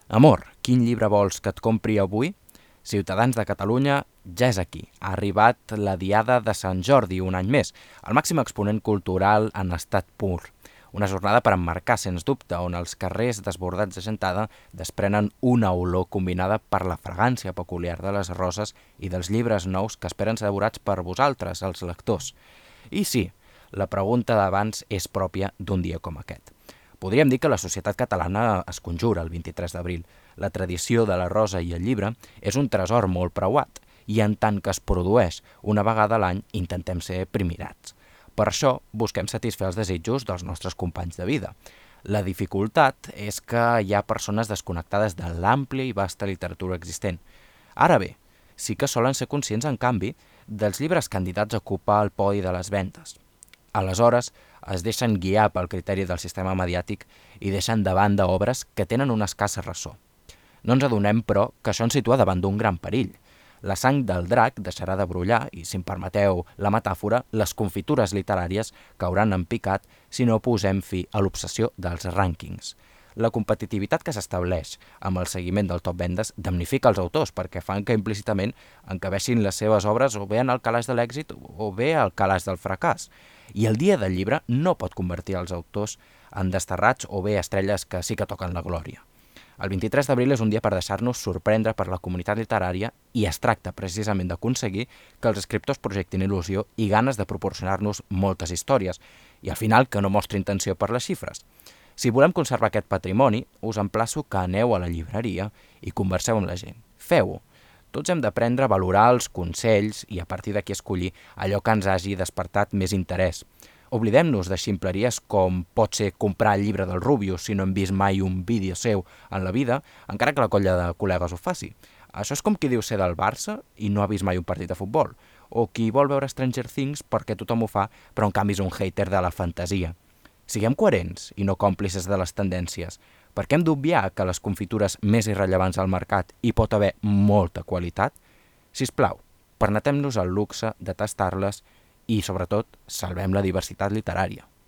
Amor, quin llibre vols que et compri avui? Ciutadans de Catalunya ja és aquí. Ha arribat la Diada de Sant Jordi un any més, el màxim exponent cultural en estat pur. Una jornada per emmarcar, sens dubte, on els carrers desbordats de gentada desprenen una olor combinada per la fragància peculiar de les roses i dels llibres nous que esperen ser devorats per vosaltres, els lectors. I sí, la pregunta d'abans és pròpia d'un dia com aquest. Podríem dir que la societat catalana es conjura el 23 d'abril. La tradició de la rosa i el llibre és un tresor molt preuat i en tant que es produeix una vegada a l'any intentem ser primirats. Per això busquem satisfer els desitjos dels nostres companys de vida. La dificultat és que hi ha persones desconnectades de l'àmplia i vasta literatura existent. Ara bé, sí que solen ser conscients, en canvi, dels llibres candidats a ocupar el podi de les ventes. Aleshores, es deixen guiar pel criteri del sistema mediàtic i deixen de banda obres que tenen una escassa ressò. No ens adonem, però, que això ens situa davant d'un gran perill. La sang del drac deixarà de brollar i, si em permeteu la metàfora, les confitures literàries cauran en picat si no posem fi a l'obsessió dels rànquings. La competitivitat que s'estableix amb el seguiment del top vendes damnifica els autors perquè fan que implícitament encabeixin les seves obres o bé en el calaix de l'èxit o bé al calaix del fracàs. I el dia del llibre no pot convertir els autors en desterrats o bé estrelles que sí que toquen la glòria. El 23 d'abril és un dia per deixar-nos sorprendre per la comunitat literària i es tracta precisament d'aconseguir que els escriptors projectin il·lusió i ganes de proporcionar-nos moltes històries i al final que no mostri intenció per les xifres. Si volem conservar aquest patrimoni, us emplaço que aneu a la llibreria i converseu amb la gent. Feu-ho. Tots hem d'aprendre a valorar els consells i a partir d'aquí escollir allò que ens hagi despertat més interès. Oblidem-nos de ximpleries com pot ser comprar el llibre del Rubius si no hem vist mai un vídeo seu en la vida, encara que la colla de col·legues ho faci. Això és com qui diu ser del Barça i no ha vist mai un partit de futbol, o qui vol veure Stranger Things perquè tothom ho fa, però en canvi és un hater de la fantasia. Siguem coherents i no còmplices de les tendències. Per què hem d'obviar que les confitures més irrellevants al mercat hi pot haver molta qualitat? Sisplau, permetem-nos el luxe de tastar-les i, sobretot, salvem la diversitat literària.